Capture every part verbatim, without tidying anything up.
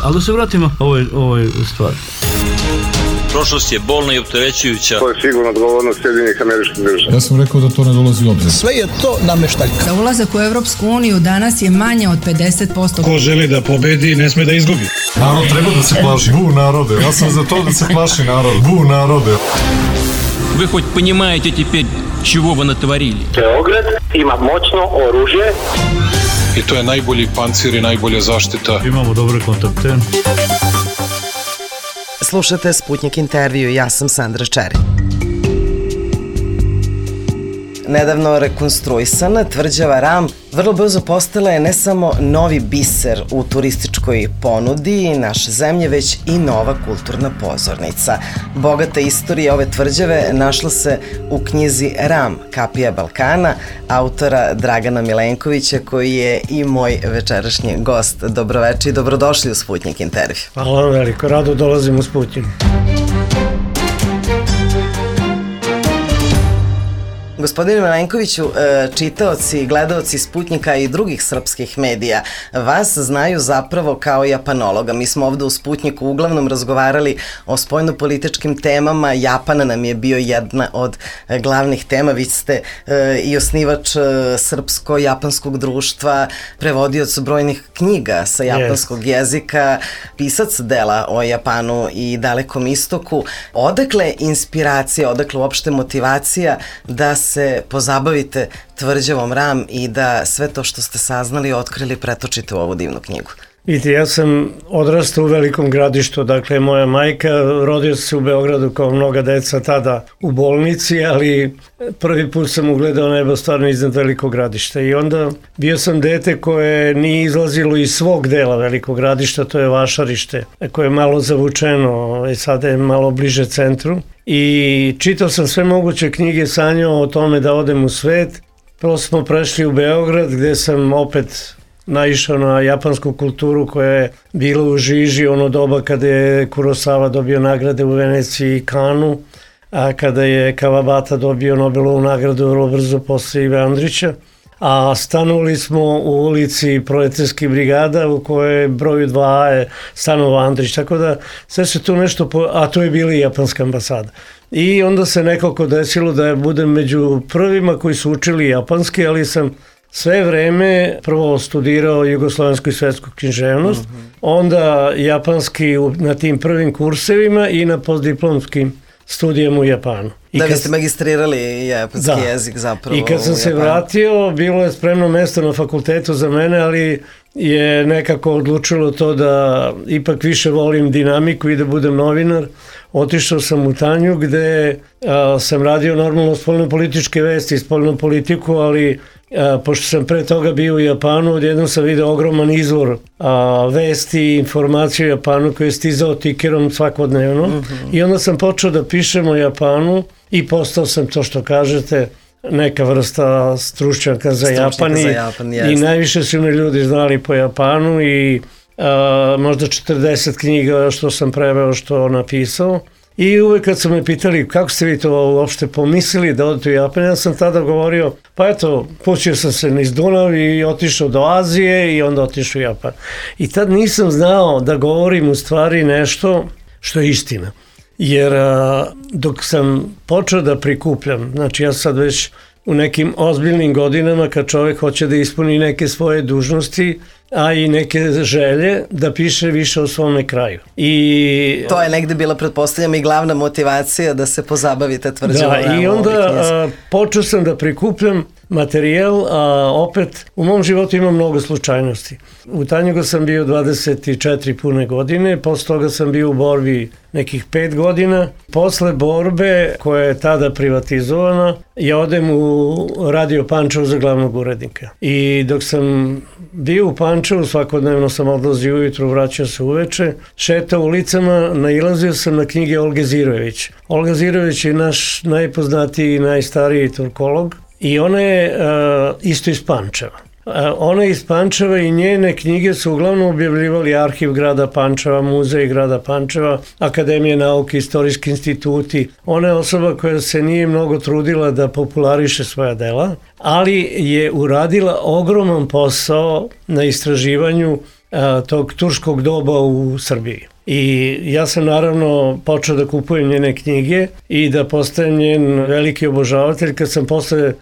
Ali da se vratimo ovoj, ovoj stvari. Prošlost je bolna i opterećujuća. To je sigurno odgovornost Sjedinjenih Američkih Država. Ja sam rekao da to ne dolazi u obzir. Sve je to nameštaljka. Za ulazak u Evropsku uniju danas je manje od pedeset posto. Ko želi da pobedi, ne sme da izgubi. Narod treba da se plaši. Bu narode. Ja sam za to da se plaši narod. Bu narode. Вы хоть понимаете теперь, чего вы натворили? Beograd ima moćno oružje. I to je najbolji pancir i najbolja zaštita. Imamo dobre kontakte. Slušate Sputnik intervju, ja sam Sandra Čeri. Nedavno rekonstruisana tvrđava Ram vrlo brzo postala je ne samo novi biser u turističkoj ponudi naše zemlje, već i nova kulturna pozornica. Bogata istorija ove tvrđave našla se u knjizi Ram, kapija Balkana, autora Dragana Milenkovića, koji je i moj večerašnji gost. Dobroveče i dobrodošli u Sputnik intervju. Hvala vam veliko, rado dolazim u Sputnik. Gospodine Milenkoviću, čitaoci i gledaoci Sputnika i drugih srpskih medija vas znaju zapravo kao japanologa. Mi smo ovde u Sputniku uglavnom razgovarali o spoljnopolitičkim temama. Japan nam je bio jedna od glavnih tema. Vi ste i osnivač Srpsko-japanskog društva, prevodioc brojnih knjiga sa japanskog yes. jezika, pisac dela o Japanu i Dalekom istoku. Odakle inspiracija, odakle uopšte motivacija da se pozabavite tvrđavom Ram i da sve to što ste saznali i otkrili pretočite u ovu divnu knjigu? Vidite, ja sam odrastao u Velikom Gradištu, dakle moja majka, rodio se u Beogradu kao mnoga deca tada u bolnici, ali prvi put sam ugledao nebo stvarno iznad Velikog Gradišta i onda bio sam dete koje nije izlazilo iz svog dela Velikog Gradišta, to je Vašarište, koje je malo zavučeno i sada je malo bliže centru. I čitao sam sve moguće knjige, sanjao o tome da odem u svet. Prvo smo prešli u Beograd gde sam opet naišao na japansku kulturu koja je bila u žiži ono doba kada je Kurosawa dobio nagrade u Veneciji i Kanu, a kada je Kawabata dobio Nobelovu nagradu vrlo brzo posle Ive Andrića. A stanovali smo u ulici Proletarskih brigada u kojoj broju dva je stanovao Andrić, tako da sve se tu nešto, po, a to je bila i japanska ambasada. I onda se nekako desilo da budem među prvima koji su učili japanski, ali sam sve vreme prvo studirao jugoslovensku i svetsku književnost, mm-hmm. onda japanski na tim prvim kursevima i na postdiplomskim studijama u Japanu. I da, kad... vi ste magistrirali japanski da. jezik zapravo. I kad sam u se Japanu. vratio, bilo je spremno mesto na fakultetu za mene, ali je nekako odlučilo to da ipak više volim dinamiku i da budem novinar. Otišao sam u Tanju gde a, sam radio normalno spoljnopolitičke vesti, spoljnu politiku, ali a, pošto sam pre toga bio u Japanu, odjednom sam vidio ogroman izvor a, vesti i informacije o Japanu koji je stizao tikerom svakodnevno. Mm-hmm. I onda sam počeo da pišem o Japanu i postao sam to što kažete, neka vrsta stručnjaka za Japan, za Japan i najviše su me ljudi znali po Japanu i a, možda četrdeset knjiga što sam preveo, što napisao. I uvek kad su me pitali kako ste vi to uopšte pomislili da odete u Japan, ja sam tada govorio, pa eto, pustio sam se niz Dunav i otišao do Azije i onda otišao u Japan. I tad nisam znao da govorim u stvari nešto što je istina. Jer a, dok sam počeo da prikupljam, znači ja sad već u nekim ozbiljnim godinama kad čovjek hoće da ispuni neke svoje dužnosti, a i neke želje da piše više o svome kraju. I to je negde bila, pretpostavljam, i glavna motivacija da se pozabavite tvrđavom Rama. Da, i onda a, počeo sam da prikupljam materijal, a opet u mom životu ima mnogo slučajnosti. U Tanjugu sam bio dvadeset četiri pune godine, posle toga sam bio u borbi nekih pet godina. Posle borbe koja je tada privatizovana, ja odem u Radio Pančevo za glavnog urednika. I dok sam bio u Pančevu, svakodnevno sam odlazio ujutru, vraćao se uveče, šetao ulicama, nailazio sam na knjige Olge Zirojević. Olga Zirojević je naš najpoznatiji i najstariji turkolog i ona je uh, isto iz Pančeva. Ona iz Pančeva i njene knjige su uglavnom objavljivali Arhiv grada Pančeva, Muzej grada Pančeva, Akademije nauke, istorijski instituti. Ona je osoba koja se nije mnogo trudila da populariše svoja dela, ali je uradila ogroman posao na istraživanju a, tog turskog doba u Srbiji. I ja sam naravno počeo da kupujem njene knjige i da postajem njen veliki obožavatelj kad sam posle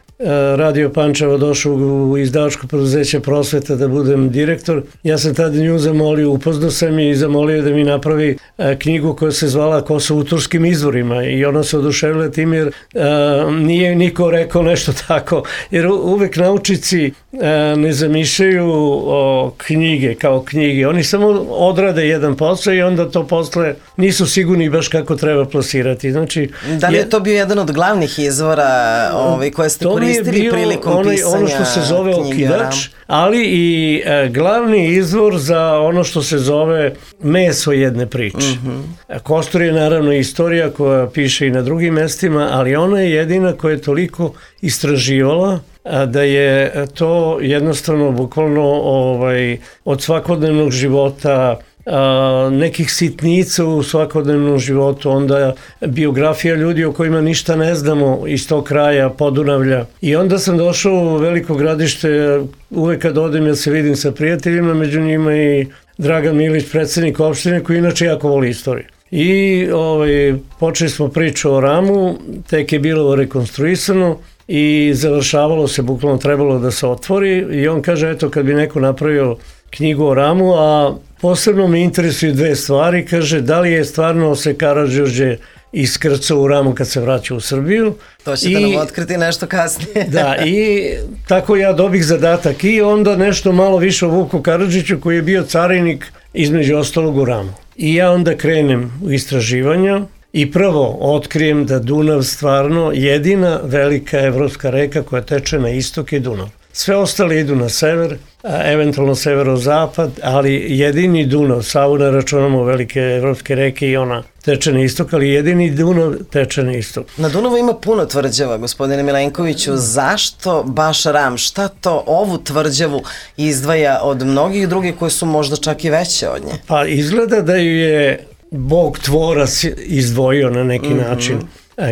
Radio Pančevo došao u izdavačko preduzeće Prosveta da budem direktor. Ja sam tada nju zamolio, upoznao sam i zamolio da mi napravi knjigu koja se zvala Kosovo u turskim izvorima i ona se oduševila tim jer a, nije niko rekao nešto tako, jer uvek naučici a, ne zamišljaju o knjige kao knjige, oni samo odrade jedan posao i onda to posle nisu sigurni baš kako treba plasirati. Znači, da li je to bio jedan od glavnih izvora ovaj, koje ste koristili prilikom onaj, pisanja ono što se zove knjige okidač, ali i e, glavni izvor za ono što se zove meso jedne priče. Mm-hmm. Kostur je naravno istorija koja piše i na drugim mestima, ali ona je jedina koja je toliko istraživala a, da je to jednostavno bukvalno ovaj, od svakodnevnog života, a, nekih sitnica u svakodnevnom životu, onda biografija ljudi o kojima ništa ne znamo iz tog kraja Podunavlja. I onda sam došao u Veliko Gradište, uvek kad odem ja se vidim sa prijateljima, među njima i Dragan Milić, predsjednik opštine, koji inače jako voli istoriju. I ovaj, počeli smo priču o Ramu, tek je bilo rekonstruisano i završavalo se, bukvalno trebalo da se otvori i on kaže, eto, kad bi neko napravio knjigu o Ramu, a posebno me interesuju dve stvari, kaže, da li je stvarno se Karađorđe iskrcao u Ramu kad se vraća u Srbiju. To ćete nam otkriti nešto kasnije. Da, i tako ja dobih zadatak i onda nešto malo više o Vuku Karadžiću koji je bio carinik između ostalog u Ramu. I ja onda krenem u istraživanja i prvo otkrijem da Dunav stvarno jedina velika evropska reka koja teče na istok je Dunav. Sve ostale idu na sever, eventualno severozapad, ali jedini Dunav, Savu ne računamo velike evropske reke i ona teče na istok, ali jedini Dunav teče na istok. Na Dunavu ima puno tvrđava, gospodine Milenkoviću. Zašto baš Ram? Šta to ovu tvrđavu izdvaja od mnogih drugih koje su možda čak i veće od nje? Pa izgleda da ju je Bog tvorac izdvojio na neki mm-hmm. način.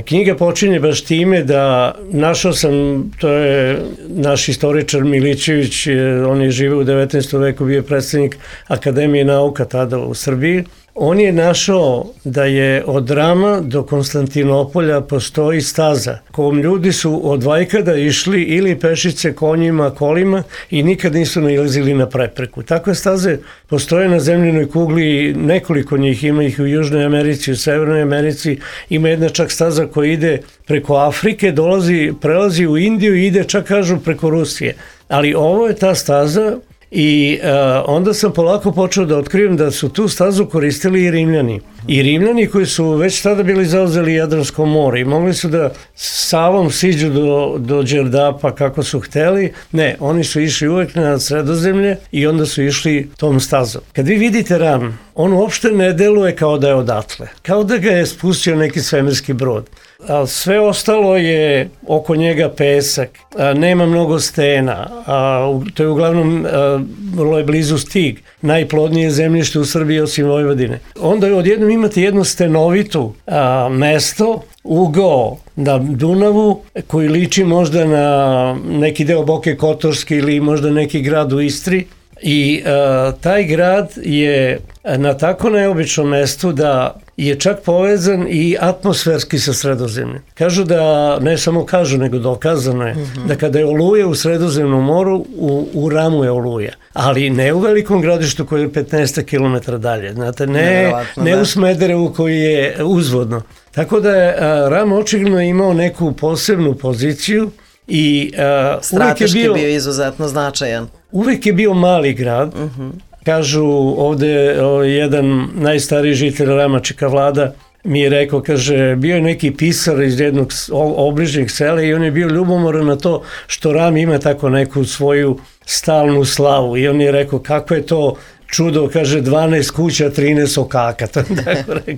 Knjiga počinje baš time da našao sam, to je naš istoričar Milićević, on je živeo u devetnaestom veku, bio je predsjednik Akademije nauka tada u Srbiji. On je našao da je od Rama do Konstantinopolja postoji staza kojom ljudi su od Vajkada išli ili pešice konjima, kolima i nikad nisu nailazili na prepreku. Takve staze postoje na zemljinoj kugli, nekoliko njih, ima ih u Južnoj Americi, u Severnoj Americi, ima jedna čak staza koja ide preko Afrike, dolazi, prelazi u Indiju i ide čak kažu preko Rusije. Ali ovo je ta staza. I uh, onda sam polako počeo da otkrivam da su tu stazu koristili i Rimljani. I Rimljani koji su već tada bili zauzeli Jadransko more i mogli su da Savom siđu do, do Đerdapa kako su hteli. Ne, oni su išli uvek na Sredozemlje i onda su išli tom stazom. Kad vi vidite Ram, on uopšte ne deluje kao da je odatle. Kao da ga je spustio neki svemirski brod. A sve ostalo je oko njega pesak, a nema mnogo stena, a to je uglavnom a, vrlo je blizu Stig, najplodnije zemljište u Srbiji osim Vojvodine. Onda odjednom imate jedno stenovitu a, mesto, ugao na Dunavu koji liči možda na neki deo Boke Kotorske ili možda neki grad u Istri. I a, taj grad je na tako neobičnom mestu da je čak povezan i atmosferski sa Sredozemljem. Kažu da, ne samo kažu, nego dokazano je, mm-hmm. da kada je oluja u Sredozemnom moru, u, u Ramu je oluja. Ali ne u Velikom Gradištu koji je petnaest kilometara dalje. Znate, ne, ne u Smederevu koji je uzvodno. Tako da je a, Ram očigledno imao neku posebnu poziciju i a, strateški uvek je bio, bio izuzetno značajan. Uvek je bio mali grad. Mm-hmm. Kažu ovde o, jedan najstariji žitelj Rama, Čika Vlada, mi je rekao, kaže, bio je neki pisar iz jednog obližnjeg sela i on je bio ljubomoran na to što Ram ima tako neku svoju stalnu slavu i on je rekao, kako je to čudo, kaže, dvanaest kuća, trinaest okaka. Tako rekao.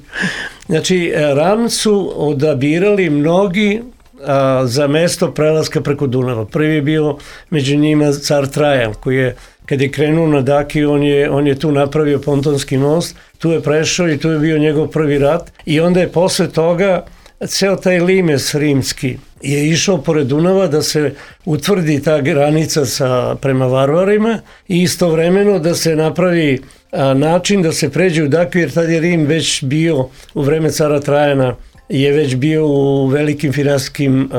Znači, Ram su odabirali mnogi a, za mesto prelaska preko Dunava. Prvi je bio među njima car Trajan, koji je kad je krenuo na Dakiju, on je, on je tu napravio pontonski most, tu je prešao i tu je bio njegov prvi rat i onda je posle toga ceo taj limes rimski je išao pored Dunava da se utvrdi ta granica sa, prema varvarima i istovremeno da se napravi a, način da se pređe u Dakiju, jer tad je Rim već bio u vreme cara Trajana je već bio u velikim finansijskim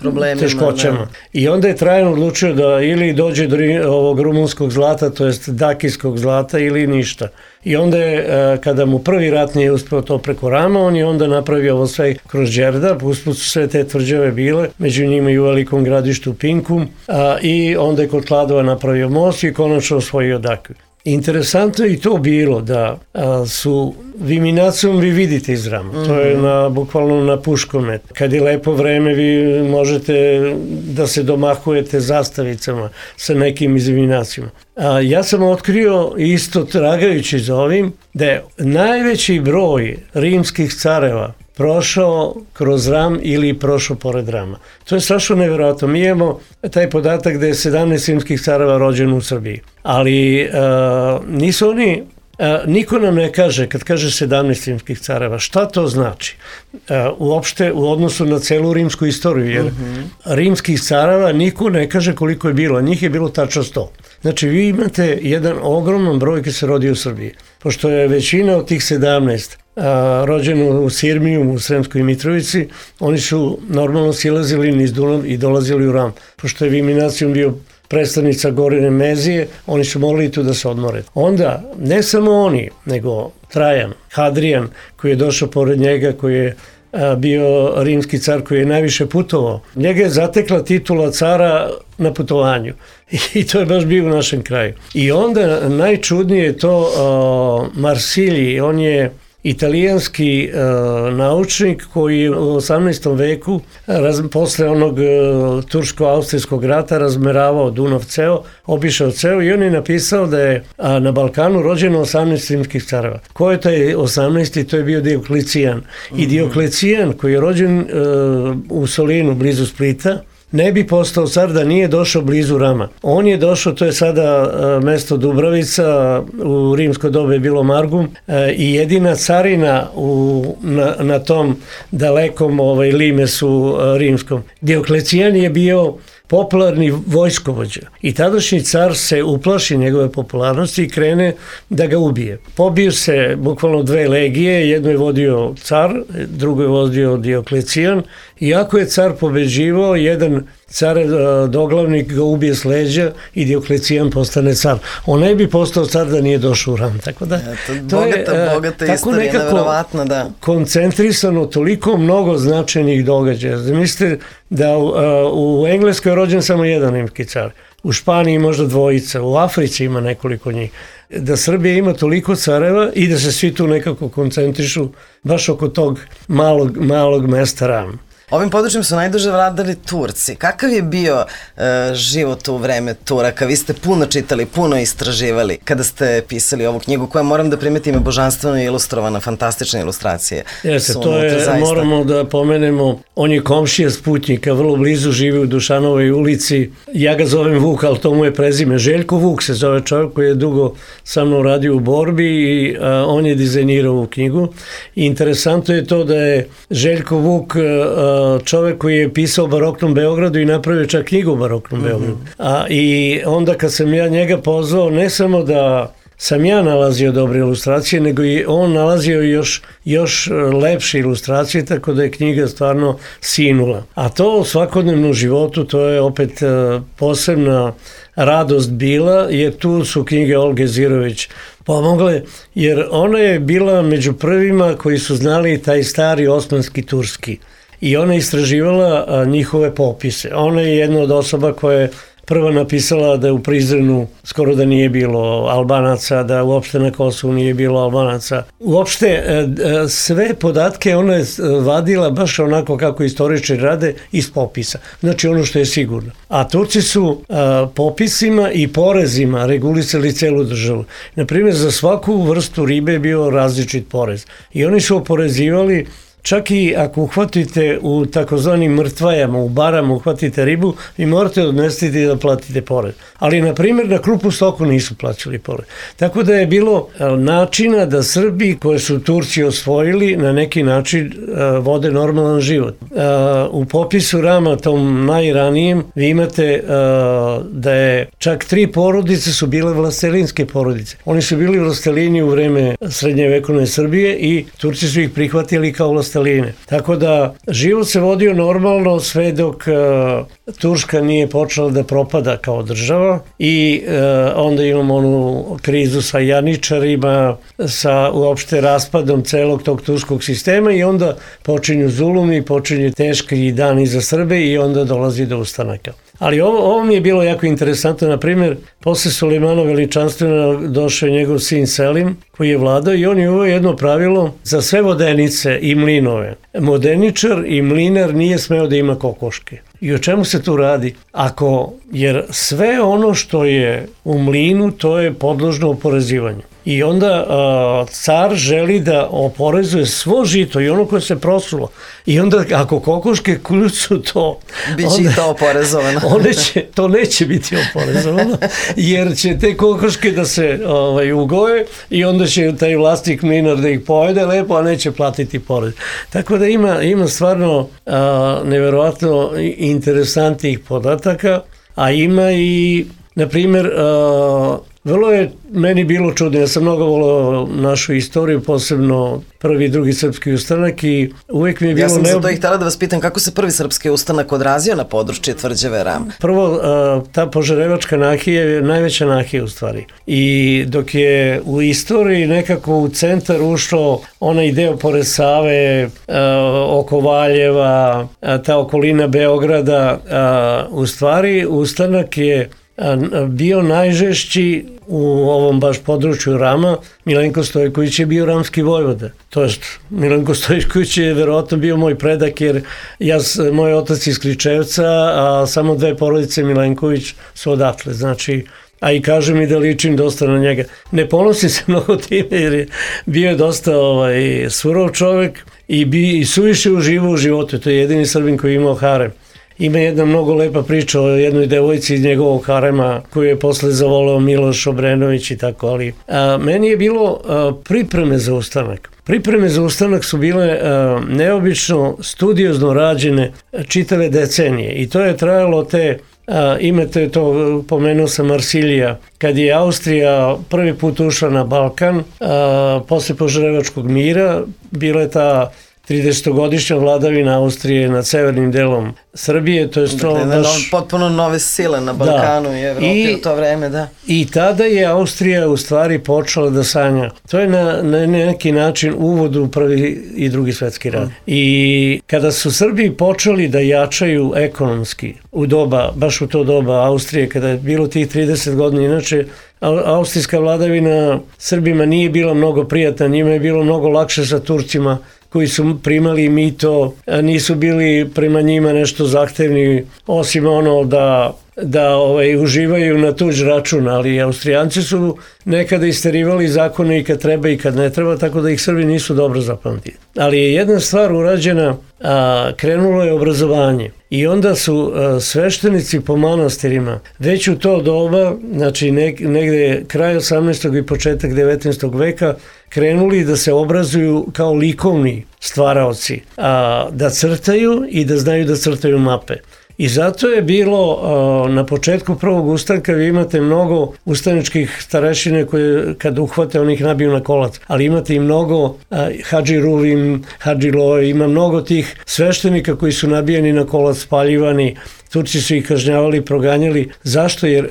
uh, teškoćama. Da. I onda je Trajan odlučio da ili dođe do ovog rumunskog zlata, to jest dakijskog zlata, ili ništa. I onda je, uh, kada mu prvi rat nije uspeo to preko Rama, on je onda napravio ovo sve kroz Đerdap, usput su sve te tvrđave bile, među njima i u velikom gradištu Pinkum, uh, i onda je kod Kladova napravio most i konačno osvojio Dakiju. Interesantno je i to bilo da a, su Viminacijom vi vidite iz Rama, mm-hmm. to je na, bukvalno na puškomet. Kad je lepo vreme vi možete da se domahujete zastavicama sa nekim iz Viminacijama. A, ja sam otkrio isto tragajući za ovim da je najveći broj rimskih careva prošao kroz Ram ili prošao pored Rama. To je strašno nevjerojatno. Mi imamo taj podatak da je sedamnaest rimskih careva rođeno u Srbiji. Ali uh, nisu oni, uh, niko nam ne kaže, kad kaže sedamnaest rimskih careva, šta to znači? Uh, uopšte u odnosu na celu rimsku istoriju, jer uh-huh. rimskih careva niko ne kaže koliko je bilo, a njih je bilo tačno sto. Znači vi imate jedan ogroman broj koji se rodio u Srbiji. Pošto je većina od tih sedamnaest a, rođeno u Sirmiju, u Sremskoj Mitrovici, oni su normalno silazili niz Dunav i dolazili u Ram. Pošto je Viminacijom bio predstavnica Gorine Mezije, oni su mogli tu da se odmore. Onda, ne samo oni, nego Trajan, Hadrian, koji je došao pored njega, koji je a, bio rimski car koji je najviše putovao. Njega je zatekla titula cara na putovanju. I to je baš bio u našem kraju. I onda najčudnije je to uh, Marsilji, on je italijanski uh, naučnik koji je u osamnaestom veku raz, posle onog uh, tursko-austrijskog rata razmeravao Dunav ceo, obišao ceo i on je napisao da je uh, na Balkanu rođeno osamnaest rimskih careva. Ko je taj osamnaesti? To je bio Dioklecijan. Mm-hmm. I Dioklecijan koji je rođen uh, u Solinu blizu Splita, ne bi postao car da nije došao blizu Rama. On je došao, to je sada uh, mesto Dubravica, u rimsko doba je bilo Margum, uh, i jedina carina u, na, na tom dalekom ovaj, limesu uh, rimskom. Dioklecijan je bio popularni vojskovođa i tadašnji car se uplaši njegove popularnosti i krene da ga ubije. Pobiju se bukvalno dve legije, jedno je vodio car, drugo je vodio Dioklecijan. Iako je car pobeđivao, jedan car doglavnik ga ubije s leđa i Dioklecijan postane car. On ne bi postao car da nije došao u Ram. Tako da, Eto, to bogata, je bogata istorija, nevjerovatno, da. Koncentrisano toliko mnogo značajnih događaja. Mislite da u, u Engleskoj je rođen samo jedan rimski car, u Španiji možda dvojica, u Africi ima nekoliko njih. Da Srbija ima toliko careva i da se svi tu nekako koncentrišu baš oko tog malog, malog mesta Ram. Ovim područjem su najduže vladali Turci. Kakav je bio e, život u vreme Turaka? Vi ste puno čitali, puno istraživali kada ste pisali ovu knjigu koja, moram da primetim, je božanstveno ilustrovana, fantastične ilustracije. Jeste, to je, zaista. Moramo da pomenemo, on je komšija Sputnjika, vrlo blizu živi u Dušanovoj ulici. Ja ga zovem Vuk, ali to mu je prezime. Željko Vuk se zove čovjek koji je dugo sa mnom radio u borbi i a, on je dizajnirao ovu knjigu. I interesantno je to da je Željko Vuk a, čovjek koji je pisao o baroknom Beogradu i napravio čak knjigu o baroknom mm-hmm. Beogradu. A, I onda kad sam ja njega pozvao, ne samo da sam ja nalazio dobre ilustracije, nego i on nalazio još, još lepše ilustracije, tako da je knjiga stvarno sinula. A to u svakodnevnom životu, to je opet posebna radost bila, jer tu su knjige Olge Zirović pomogle, jer ona je bila među prvima koji su znali taj stari osmanski turski. I ona je istraživala a, njihove popise. Ona je jedna od osoba koja je prva napisala da je u Prizrenu skoro da nije bilo Albanaca, da uopšte na Kosovu nije bilo Albanaca. Uopšte e, sve podatke ona je vadila baš onako kako istoričari rade iz popisa. Znači ono što je sigurno. A Turci su a, popisima i porezima regulisali celu državu. Naprimjer, za svaku vrstu ribe je bio različit porez. I oni su oporezivali čak i ako uhvatite u takozvanim mrtvajama, u barama uhvatite ribu, vi morate odnestiti da platite porez. Ali, na primjer, na krupnu stoku nisu plaćali porez. Tako da je bilo načina da Srbi, koje su Turci osvojili, na neki način vode normalan život. U popisu Rama, tom najranijem, vi imate da je čak tri porodice su bile vlastelinske porodice. Oni su bili vlastelini u vreme srednjevekovne Srbije i Turci su ih prihvatili kao vlasteline. Tako da život se vodio normalno sve dok Turska nije počela da propada kao država i onda imamo onu krizu sa janičarima, sa uopšte raspadom celog tog turskog sistema i onda počinju zulumi, počinju teški dani za Srbe i onda dolazi do ustanaka. Ali ovo, ovo mi je bilo jako interesantno, na primjer, posle Sulejmana Veličanstvena došao je njegov sin Selim, koji je vladao i on je uveo jedno pravilo za sve vodenice i mlinove. Modeničar i mlinar nije smeo da ima kokoške. I o čemu se tu radi? Ako, jer sve ono što je u mlinu, to je podložno oporezivanju. I onda a, car želi da oporezuje svo žito i ono koje se prosulo. I onda ako kokoške kljucu to... Biće i to oporezovano. One će, to neće biti oporezovano, jer će te kokoške da se ovaj, ugoje i onda će taj vlasnik mlinar da ih pojede lepo, a neće platiti porez. Tako da ima, ima stvarno a, neverovatno interesantnih podataka, a ima i, na primjer, a, vrlo je meni bilo čudno, ja sam mnogo volao našu istoriju, posebno prvi i drugi srpski ustanak i uvijek mi je bilo... Ja sam neob... za to i htjela da vas pitam kako se prvi srpski ustanak odrazio na područje Tvrđave Ram. Prvo, ta Požarevačka nahija je najveća nahija u stvari. I dok je u istoriji nekako u centar ušlo onaj deo pored Save, oko Valjeva, ta okolina Beograda, u stvari ustanak je bio najžešći u ovom baš području Rama. Milenko Stojković je bio ramski vojvoda. To jest, Milenko Stojković je verovatno bio moj predak, jer ja, moj otac iz Kličevca, a samo dve porodice Milenković su odatle. Znači, a i kaže mi da ličim dosta na njega. Ne ponosim se mnogo time, jer je bio dosta ovaj, surov čovek i, bi, i suviše uživo u životu. To je jedini Srbin koji je imao harem. Ima jedna mnogo lepa priča o jednoj devojci iz njegovog harema koju je posle zavoleo Miloš Obrenović i tako, ali a, meni je bilo a, pripreme za ustanak. Pripreme za ustanak su bile a, neobično studiozno rađene čitave decenije i to je trajalo te, a, imate to, pomenuo sam Marsilija, kad je Austrija prvi put ušla na Balkan, a, posle Požarevačkog mira, bila je ta tridesetogodišnja vladavina Austrije nad severnim delom Srbije, to je dakle, baš... no, potpuno nove sile na Balkanu da. I Evropi I, u to vreme, da. I tada je Austrija u stvari počela da sanja. To je na, na neki način uvod u prvi i drugi svetski rat. Mm. I kada su Srbi počeli da jačaju ekonomski u doba, baš u to doba Austrije, kada je bilo tih trideset godina, inače austrijska vladavina Srbima nije bila mnogo prijatna, njima je bilo mnogo lakše sa Turcima koji su primali mito, nisu bili prema njima nešto zahtevni, osim ono da, da ovaj, uživaju na tuđ račun, ali Austrijanci su nekada isterivali zakone i kad treba i kad ne treba, tako da ih Srbi nisu dobro zapamtili. Ali je jedna stvar urađena, a, krenulo je obrazovanje. I onda su a, sveštenici po manastirima već u to doba, znači ne, negde kraj osamnaestog i početak devetnaestog veka, krenuli da se obrazuju kao likovni stvaraoci, a, da crtaju i da znaju da crtaju mape. I zato je bilo a, na početku prvog ustanka, vi imate mnogo ustaničkih starešine koje kad uhvate oni ih nabiju na kolac, ali imate i mnogo a, Hadži Ruvim, Hadži Loj, ima mnogo tih sveštenika koji su nabijeni na kolac, spaljivani. Turci su ih kažnjavali, proganjali. Zašto? Jer e,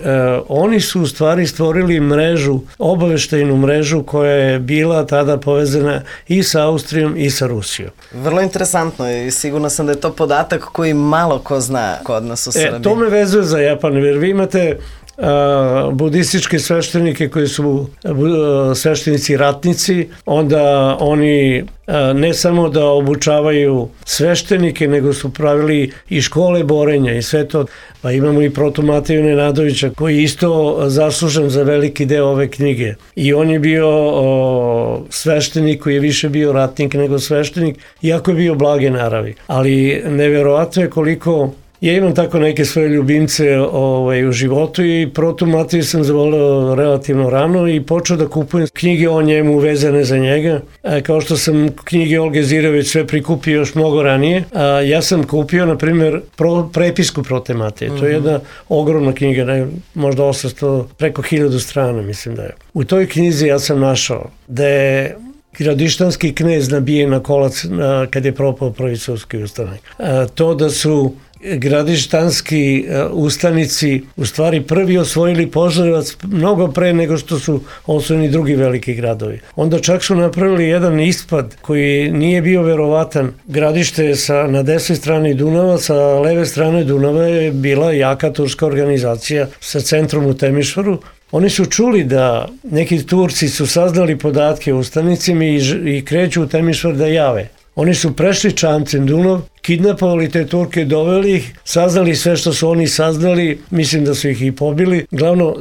oni su u stvari stvorili mrežu, obaveštajnu mrežu koja je bila tada povezana i sa Austrijom i sa Rusijom. Vrlo interesantno i sigurno sam da je to podatak koji malo ko zna kod nas u Srbiji. E, to me vezuje za Japan, jer vi imate a, budističke sveštenike koji su a, sveštenici ratnici, onda oni a, ne samo da obučavaju sveštenike, nego su pravili i škole borenja i sve to. Pa imamo i protu Mateju Nenadovića koji je isto zaslužen za veliki deo ove knjige. I on je bio o, sveštenik koji je više bio ratnik nego sveštenik, iako je bio blage naravi. Ali neverovatno je koliko... Ja imam tako neke svoje ljubimce ovaj, u životu i protu Mateju sam zavoleo relativno rano i počeo da kupujem knjige o njemu vezane za njega. A, kao što sam knjige Olge Zirović sve prikupio još mnogo ranije, a, ja sam kupio, na primjer, pro, prepisku prote Mateje. To je jedna ogromna knjiga, ne, možda osamsto, preko hiljadu strana, mislim da je. U toj knjizi ja sam našao da je Gradištanski knez nabijen na kolac na, kad je propao prvi srpski ustanak. A, to da su gradištanski ustanici u stvari prvi osvojili Požarevac mnogo pre nego što su osvojeni drugi veliki gradovi. Onda čak su napravili jedan ispad koji nije bio verovatan. Gradište je sa, na desnoj strani Dunava, sa leve strane Dunava je bila jaka turska organizacija sa centrom u Temišvaru. Oni su čuli da neki Turci su saznali podatke o ustanicima i, i kreću u Temišvar da jave. Oni su prešli čamcem Dunav, kidnapovali te Turke, doveli ih, saznali sve što su oni saznali, mislim da su ih i pobili. Glavno,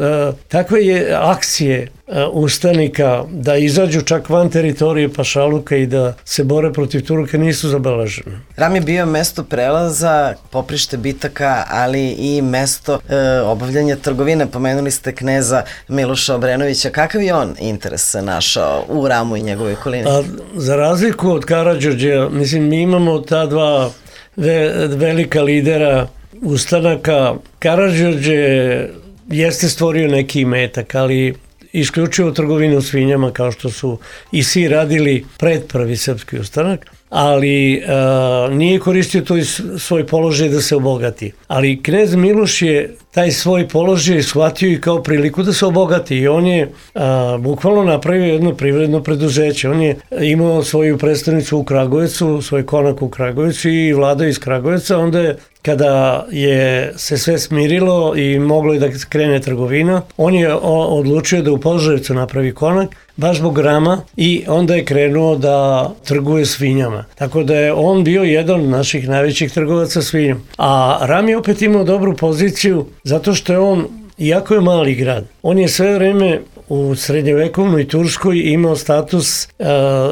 takve je akcije ustanika da izađu čak van teritorije Pašaluka i da se bore protiv Turka nisu zabeležene. Ram je bio mesto prelaza, poprište bitaka, ali i mesto e, obavljanja trgovine. Pomenuli ste kneza Miloša Obrenovića. Kakav je on interes se našao u Ramu i njegovoj okolini? A, za razliku od Karađorđa, mislim, mi imamo ta dva ve, velika lidera ustanaka. Karađorđe jeste stvorio neki imetak, ali isključivo trgovinu svinjama, kao što su i svi radili pred prvi srpski ustanak, ali a, nije koristio to svoj položaj da se obogati. Ali knez Miloš je taj svoj položaj shvatio i kao priliku da se obogati i on je a, bukvalno napravio jedno privredno preduzeće. On je imao svoju predstavnicu u Kragujevcu, svoj konak u Kragujevcu i vladao iz Kragujevca. Onda je, kada je se sve smirilo i moglo je da krene trgovina, on je odlučio da u Požarevcu napravi konak, baš zbog Rama, i onda je krenuo da trguje svinjama. Tako da je on bio jedan od naših najvećih trgovaca svinjama. A Ram je opet imao dobru poziciju zato što je on, iako je mali grad, on je sve vreme u srednjovekovnoj Turskoj imao status uh,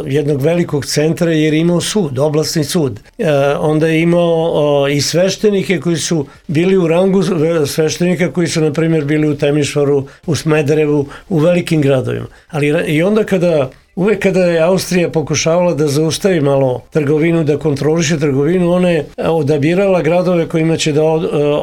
jednog velikog centra jer je imao sud, oblastni sud. Uh, onda je imao uh, i sveštenike koji su bili u rangu sveštenika koji su, na primjer, bili u Temišvaru, u Smederevu, u velikim gradovima. Ali i onda kada Uvek kada je Austrija pokušavala da zaustavi malo trgovinu, da kontroliše trgovinu, ona je odabirala gradove kojima će da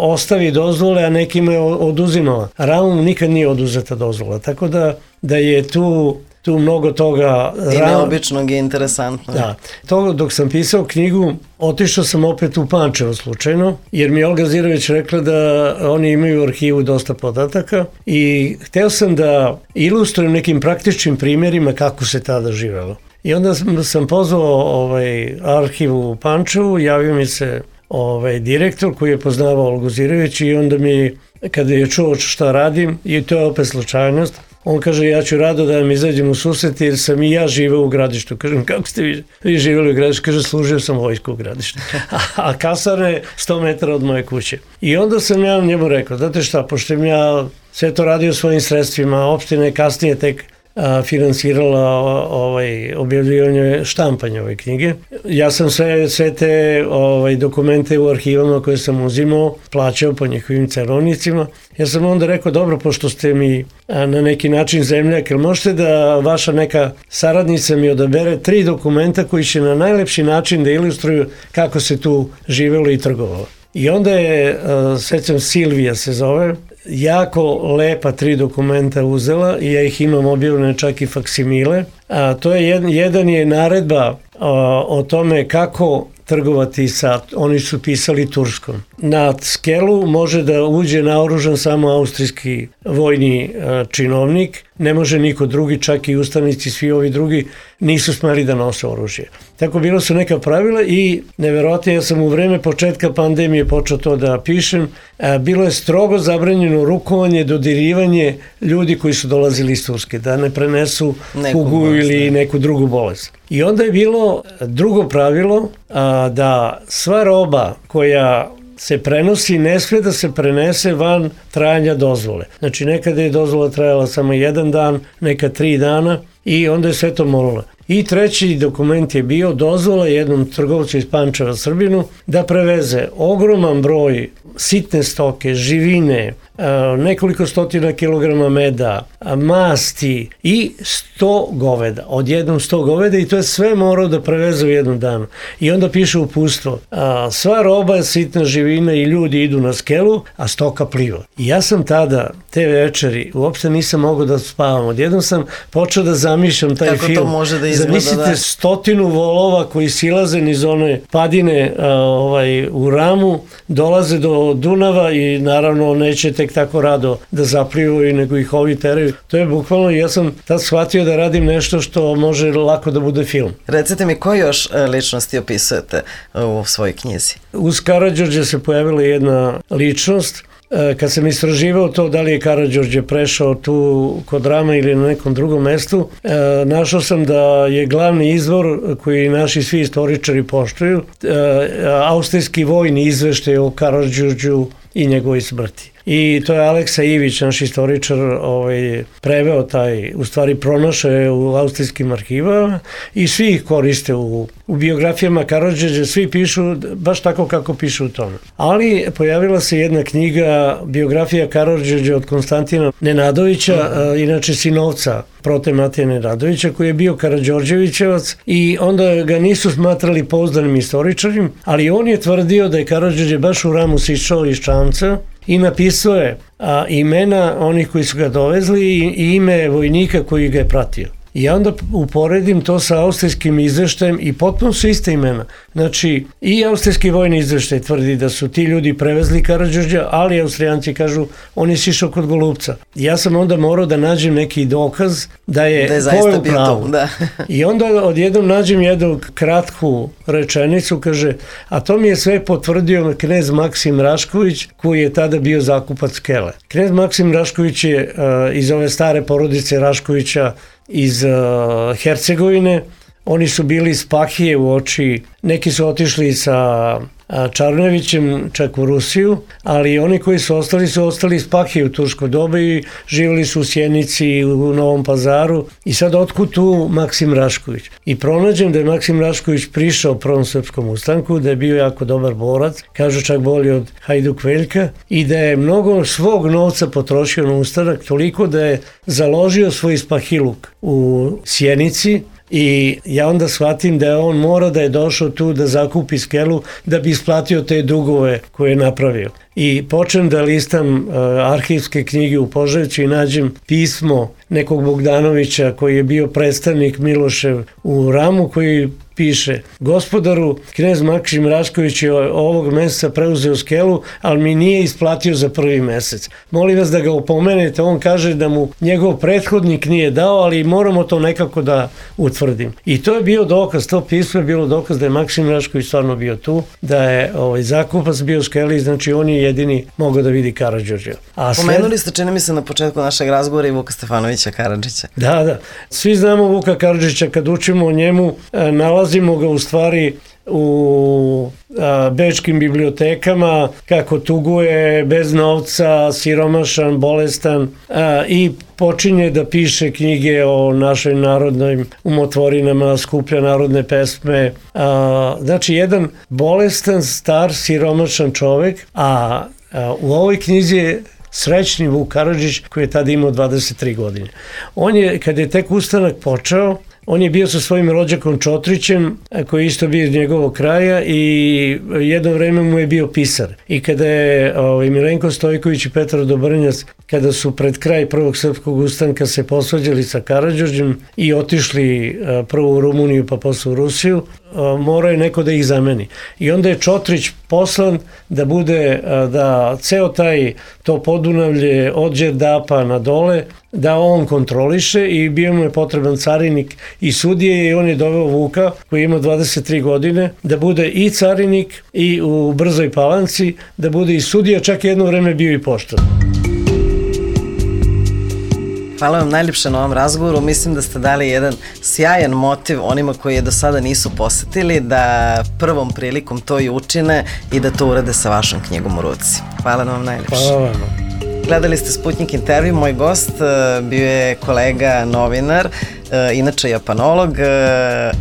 ostavi dozvole, a nekima je oduzimala. Ramu nikad nije oduzeta dozvola, tako da, da je tu... tu mnogo toga... I neobičnog i interesantno. Da. To dok sam pisao knjigu, otišao sam opet u Pančevo slučajno, jer mi je Olga Zirović rekla da oni imaju u arhivu dosta podataka i hteo sam da ilustrujem nekim praktičnim primjerima kako se tada živelo. I onda sam pozvao ovaj, arhiv u Pančevu, javio mi se ovaj, direktor koji je poznavao Olgu Zirović i onda mi, kada je čuo šta radim, i to je opet slučajnost, on kaže, ja ću rado da vam izađem u susret jer sam i ja živeo u Gradištu. Kažem, kako ste vi, vi živjeli u Gradištu? Kaže, služio sam vojsku u Gradištu. A, a kasarna je sto metara od moje kuće. I onda sam ja njemu rekao, znate šta, pošto sam ja sve to radio svojim sredstvima, opština je kasnije tek a, finansirala ovaj, objavljivanje, štampanje ove knjige. Ja sam sve, sve te ovaj, dokumente u arhivama koje sam uzimao, plaćao po njihovim cenovnicima. Ja sam onda rekao, dobro, pošto ste mi a, na neki način zemljak, jel možete da vaša neka saradnica mi odabere tri dokumenta koji će na najlepši način da ilustruju kako se tu živelo i trgovalo. I onda je, a, sećam, Silvija se zove, jako lepa tri dokumenta uzela i ja ih imam objavljene čak i faksimile. A, to je jedan, jedan je naredba a, o tome kako trgovati sa, oni su pisali turskom. Na skelu može da uđe naoružan samo austrijski vojni a, činovnik, ne može niko drugi, čak i ustanici, svi ovi drugi nisu smeli da nose oružje. Tako bilo su neka pravila i neverovatno, ja sam u vreme početka pandemije počeo to da pišem, bilo je strogo zabranjeno rukovanje, dodirivanje ljudi koji su dolazili iz Turske, da ne prenesu kugu ili neku drugu bolest. I onda je bilo drugo pravilo a, da sva roba koja se prenosi ne sme da se prenese van trajanja dozvole. Znači nekada je dozvola trajala samo jedan dan, neka tri dana i onda je sve to moralo. I treći dokument je bio dozvola jednom trgovcu iz Pančeva, Srbinu, da preveze ogroman broj sitne stoke, živine, nekoliko stotina kilograma meda, masti i sto goveda. Odjednom sto goveda i to je sve morao da preveze u jednom danu. I onda piše uputstvo, sva roba, sitna živina i ljudi idu na skelu, a stoka pliva. I ja sam tada, te večeri, uopšte nisam mogao da spavam. Odjednom sam počeo da zamišljam taj Kako film. To može da izgleda, Zamislite da. stotinu volova koji silaze niz one padine a, ovaj, u Ramu, dolaze do Dunava i naravno neće tek tako rado da zaplivaju, nego ih ovi teraju. To je bukvalno, ja sam tad shvatio da radim nešto što može lako da bude film. Recite mi, koje još ličnosti opisujete u svojoj knjizi? Uz Karađorđe se pojavila jedna ličnost. Kad sam istraživao to da li je Karađorđe prešao tu kod Rama ili na nekom drugom mestu, našao sam da je glavni izvor koji naši svi istoričari poštuju austrijski vojni izveštaj o Karađorđu i njegovoj smrti. I to je Aleksa Ivić, naš istoričar, ovaj, preveo taj, u stvari pronašao je u austrijskim arhivama i svi ih koriste u, u biografijama Karađorđa, svi pišu baš tako kako pišu u tome. Ali pojavila se jedna knjiga, biografija Karađorđa od Konstantina Nenadovića, a, inače sinovca Prote Matije Nenadovića, koji je bio Karađorđevićevac i onda ga nisu smatrali pouzdanim istoričarim, ali on je tvrdio da je Karađorđe baš u Ramu sišao iz čamca i napisao je a, imena onih koji su ga dovezli i, i ime vojnika koji ga je pratio. I ja onda uporedim to sa austrijskim izveštajem i potpuno su iste imena. Znači, i austrijski vojni izveštaj tvrdi da su ti ljudi prevezli Karađorđa, ali Austrijanci kažu on je sišao kod Golubca. Ja sam onda morao da nađem neki dokaz da je, da je ko je u pravu. Da. I onda odjednom nađem jednu kratku rečenicu, kaže, a to mi je sve potvrdio knez Maksim Rašković, koji je tada bio zakupac skele. Knez Maksim Rašković je uh, iz ove stare porodice Raškovića iz uh, Hercegovine. Oni su bili spahije u oči, neki su otišli sa a, Čarnevićem čak u Rusiju, ali oni koji su ostali su ostali spahije u turško doba i živjeli su u Sjenici, u Novom Pazaru. I sad otkud tu Maksim Rašković? I pronađem da je Maksim Rašković prišao u Prvom srpskom ustanku, da je bio jako dobar borac, kažu čak bolji od Hajduk Veljka, i da je mnogo svog novca potrošio na ustanak, toliko da je založio svoj spahiluk u Sjenici. I ja onda shvatim da je on mora da je došao tu da zakupi skelu da bi isplatio te dugove koje je napravio. I počnem da listam uh, arhivske knjige u Požarevcu i nađem pismo nekog Bogdanovića koji je bio predstavnik Milošev u Ramu, koji piše: gospodaru, knez Maksim Rašković je ovog meseca preuzeo skelu, ali mi nije isplatio za prvi mesec. Molim vas da ga opomenete, on kaže da mu njegov prethodnik nije dao, ali moramo to nekako da utvrdim. I to je bio dokaz, to pismo je bilo dokaz da je Maksim Rašković stvarno bio tu, da je ovaj, zakupac bio skeli, znači on je jedini mogao da vidi Karađorđa. A sled... Pomenuli ste, čini mi se, na početku našeg razgovora i Vuka Stefanovića Karadžića. Da, da. Svi znamo Vuka Karadžića, kad učimo o njemu, nalazimo ga u stvari u a, bečkim bibliotekama, kako tuguje, bez novca, siromašan, bolestan, a, i počinje da piše knjige o našoj narodnoj umotvorinama, skuplja narodne pesme. A, znači, jedan bolestan, star, siromašan čovek, a, a u ovoj knjizi je srećni Vuk Karadžić koji je tada imao dvadeset tri godine. On je, kada je tek ustanak počeo, on je bio sa svojim rođakom Čotrićem, koji je isto bio iz njegovog kraja, i jedno vreme mu je bio pisar. I kada je ovaj, Milenko Stojković i Petar Dobrnjac, kada su pred kraj Prvog srpskog ustanka se posvađali sa Karađorđem i otišli prvo u Rumuniju pa posle u Rusiju, morao je neko da ih zameni. I onda je Čotrić poslan da bude, da ceo taj, to Podunavlje od Đerdapa na dole, da on kontroliše i bio mu je potreban carinik i sudije i on je doveo Vuka koji ima dvadeset tri godine da bude i carinik i u Brzoj Palanci, da bude i sudija, čak jedno vreme bio i poštar. Hvala vam najljepše na ovom razgovoru. Mislim da ste dali jedan sjajan motiv onima koji je do sada nisu posetili da prvom prilikom to i učine i da to urade sa vašom knjigom u ruci. Hvala vam najljepše. Hvala vam. Gledali ste Sputnik intervju, moj gost bio je kolega novinar, inače japanolog,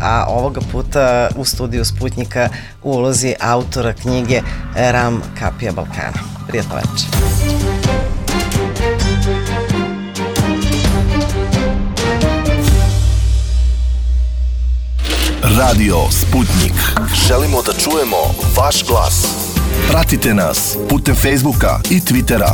a ovoga puta u studiju Sputnika u ulozi autora knjige Ram Kapija Balkana. Prijatno večer. Radio Sputnik. Želimo da čujemo vaš glas. Pratite nas putem Facebooka i Twittera.